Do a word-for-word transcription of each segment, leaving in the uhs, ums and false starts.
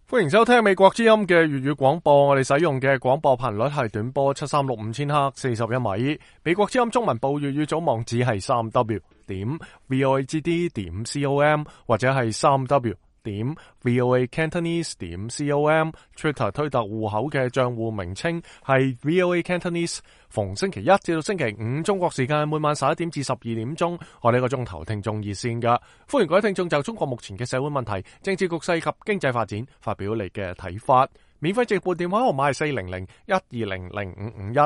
歡迎收聽美國之音嘅粵語廣播，我哋使用嘅廣播頻率係短波七三六五千赫四十一米。美國之音中文部粵語組網址係三 w 點 vohd 點 com 或者係三 w 點 voacantonese 點 com。Twitter 推特戶口嘅賬戶名稱係 voacantonese。逢星期一至到星期五中國時間每晚十一點至十二點鐘，我哋一個鐘頭聽眾熱線噶，歡迎各位聽眾就中國目前嘅社會問題、政治局勢及經濟發展發表你嘅睇法。免費直撥電話號碼係四零零一二零零五五一。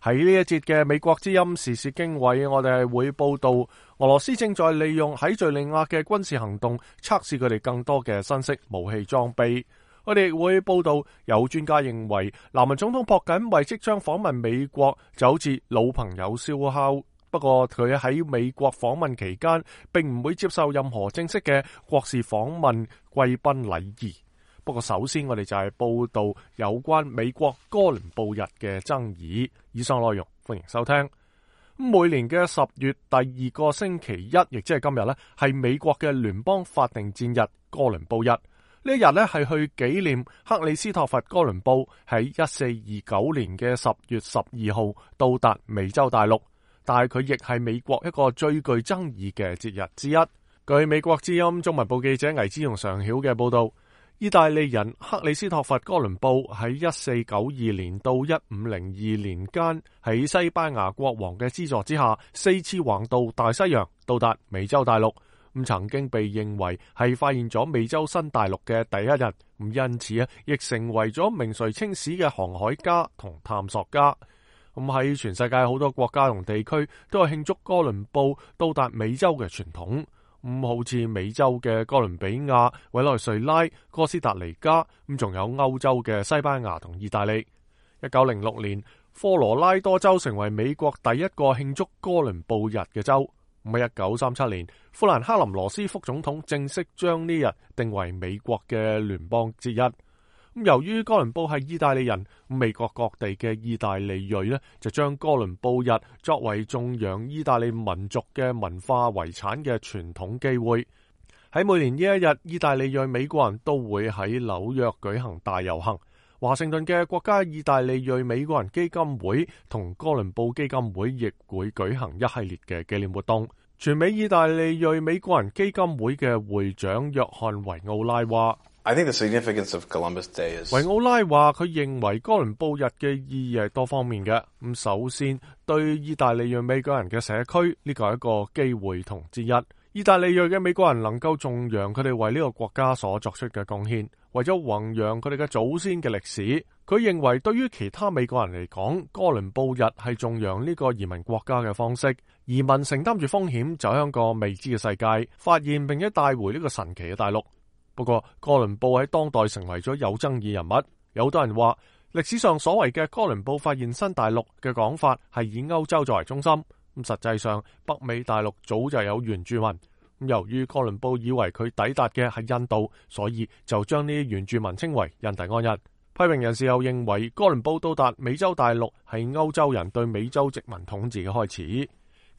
喺呢一節嘅美國之音時事經緯，我哋係會報道俄羅斯正在利用喺敘利亞嘅軍事行動測試佢哋更多嘅新式武器裝備。我哋會報道有專家認為南韓總統朴槿惠即將訪問美國就好似老朋友燒烤，不過佢喺美國訪問期間並唔會接受任何正式嘅國事訪問貴賓禮儀。不過首先我哋就係報道有關美國哥倫布日嘅爭議。以上內容歡迎收聽。每年嘅十月第二個星期一，亦即係今日呢，係美國嘅聯邦法定戰日哥倫布日。呢一日咧係去紀念克里斯托弗哥倫布喺一四二九年嘅十月十二號到達美洲大陸，但係佢亦係美國一個最具爭議嘅節日之一。據美國之音中文部記者魏之容常曉嘅報道，意大利人克里斯托弗哥倫布喺一四九二年到一五零二年間喺西班牙國王嘅資助之下，四次橫渡大西洋到達美洲大陸。咁曾經被認為係發現咗美洲新大陸嘅第一人，咁因此啊，亦成為咗名垂青史嘅航海家同探索家。咁喺全世界好多國家同地區都有慶祝哥倫布到達美洲嘅傳統。咁好似美洲嘅哥倫比亞、委內瑞拉、哥斯達黎加，咁仲有歐洲嘅西班牙同意大利。一九零六年，科羅拉多州成為美國第一個慶祝哥倫布日嘅州。喺一九三七年，富蘭克林羅斯副總統正式將呢日定為美國嘅聯邦節日。咁由於哥倫布係意大利人，美國各地嘅意大利裔呢就將哥倫布日作為頌揚意大利民族嘅文化遺產嘅傳統機會。喺每年呢一日，意大利裔美國人都會喺紐約舉行大遊行。華盛頓嘅國家意大利裔美國人基金會同哥倫布基金會亦會舉行一系列嘅紀念活動。全美意大利裔美國人基金會嘅會長約翰維奧拉話I think the significance of Columbus Day is... 維奧拉話佢認為哥倫布日嘅意義係多方面嘅。咁首先，對意大利裔美國人嘅社區，呢個係一個機會同之一。意大利裔嘅美國人能夠頌揚佢哋為呢個國家所作出嘅貢獻，為咗弘揚佢哋嘅祖先嘅歷史。佢認為對於其他美國人嚟講，哥倫布日係頌揚呢個移民國家嘅方式。移民承擔住風險，走向個未知嘅世界，發現並且帶回呢個神奇嘅大陸。不過，哥倫布喺當代成為咗有爭議人物。有好多人話，歷史上所謂嘅哥倫布發現新大陸嘅講法係以歐洲作為中心。咁實際上，北美大陸早就有原住民。咁由於哥倫布以為佢抵達嘅係印度，所以就將呢啲原住民稱為印第安人。批評人士又認為，哥倫布到達美洲大陸係歐洲人對美洲殖民統治嘅開始。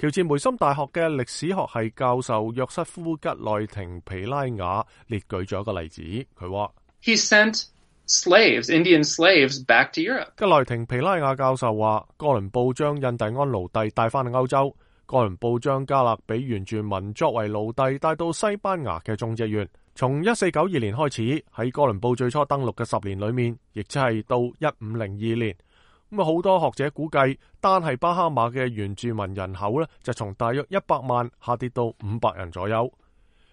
喬治梅森大學嘅歷史學系教授約瑟夫吉內廷皮拉雅列舉咗一個例子，佢話：He sent slaves, Indian slaves, back to Europe. 吉內廷皮拉雅教授話，哥倫布將印第安奴隸帶翻去歐洲，哥倫布將加勒比原住民作為奴隸帶到西班牙嘅種植園。從一四九二年開始，喺哥倫布最初登陸嘅十年裏面，亦即係到一五零二年。咁啊，好多學者估計，單係巴哈馬嘅原住民人口咧，就從大約一百萬下跌到五百人左右。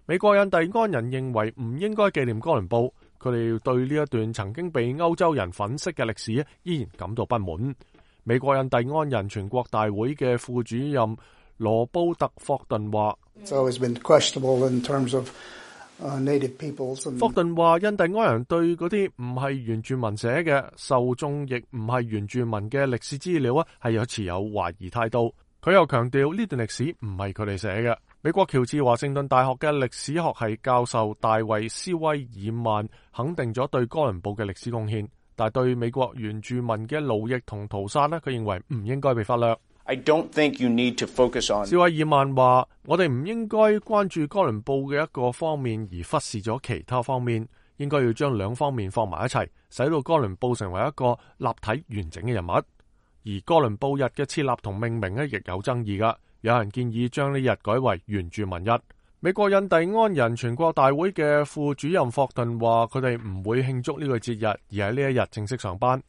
美國印第安人認為唔應該紀念哥倫布，佢哋對呢一段曾經被歐洲人粉飾嘅歷史依然感到不滿。美國印第安人全國大會嘅副主任羅布特霍頓話：Uh, native peoples and... 霍頓話，印第安人對嗰啲唔係原住民寫嘅受眾亦唔係原住民嘅歷史資料啊，係有持有懷疑態度。佢又強調呢段歷史唔係佢哋寫嘅。美國喬治華盛頓大學嘅歷史學系教授大衛斯威爾曼肯定咗對哥倫布嘅歷史貢獻，但係對美國原住民嘅奴役同屠殺呢，佢認為唔應該被忽略。I don't think you need to focus on. 斯威爾曼話：我哋唔應該關注哥倫布嘅一個方面而忽視咗其他方面，應該要將兩方面放埋一齊，使到哥倫布成為一個立體完整嘅人物。而哥倫布日嘅設立同命名呢，亦有爭議㗎。有人建議將呢日改為原住民日。美國印第安人全國大會嘅副主任霍頓話，佢哋唔會慶祝呢個節日，而喺呢一日正式上班。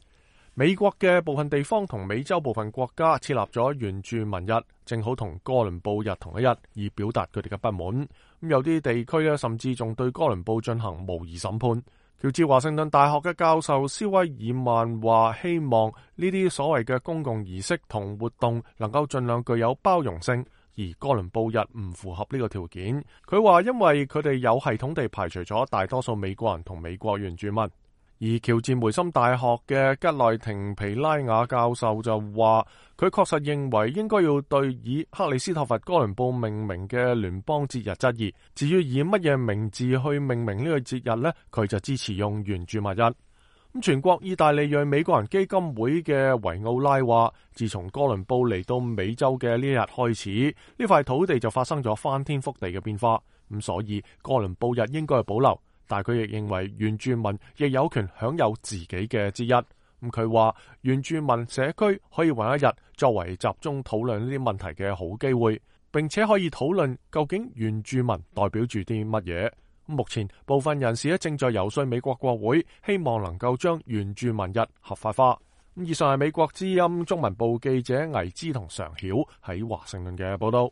美國嘅部分地方同美洲部分國家設立咗原住民日，正好同哥倫布日同一日，以表達佢哋嘅不滿。咁有啲地區呢，甚至仲對哥倫布進行模擬審判。喬治華盛頓大學嘅教授蕭威爾曼話，希望呢啲所謂嘅公共儀式同活動能夠盡量具有包容性，而哥倫布日唔符合呢個條件。佢話因為佢哋有系統地排除咗大多數美國人同美國原住民。而喬治梅森大學嘅吉內廷皮拉雅教授就話，佢確實認為應該要對以克里斯托弗哥倫布命名嘅聯邦節日質疑。至於以乜嘢名字去命名呢個節日呢，佢就支持用原住民日。咁全國意大利裔美國人基金會嘅維奧拉話，自從哥倫布嚟到美洲嘅呢一日開始，呢塊土地就發生咗翻天覆地嘅變化。咁所以哥倫布日應該係保留。但佢亦認為原住民亦有權享有自己嘅節日。咁佢話原住民社區可以揾一日作為集中討論呢啲問題嘅好機會，並且可以討論究竟原住民代表住啲乜嘢。目前部分人士咧正在游說美國國會，希望能夠將原住民日合法化。以上係美國之音中文部記者倪之同常曉喺華盛頓嘅報道。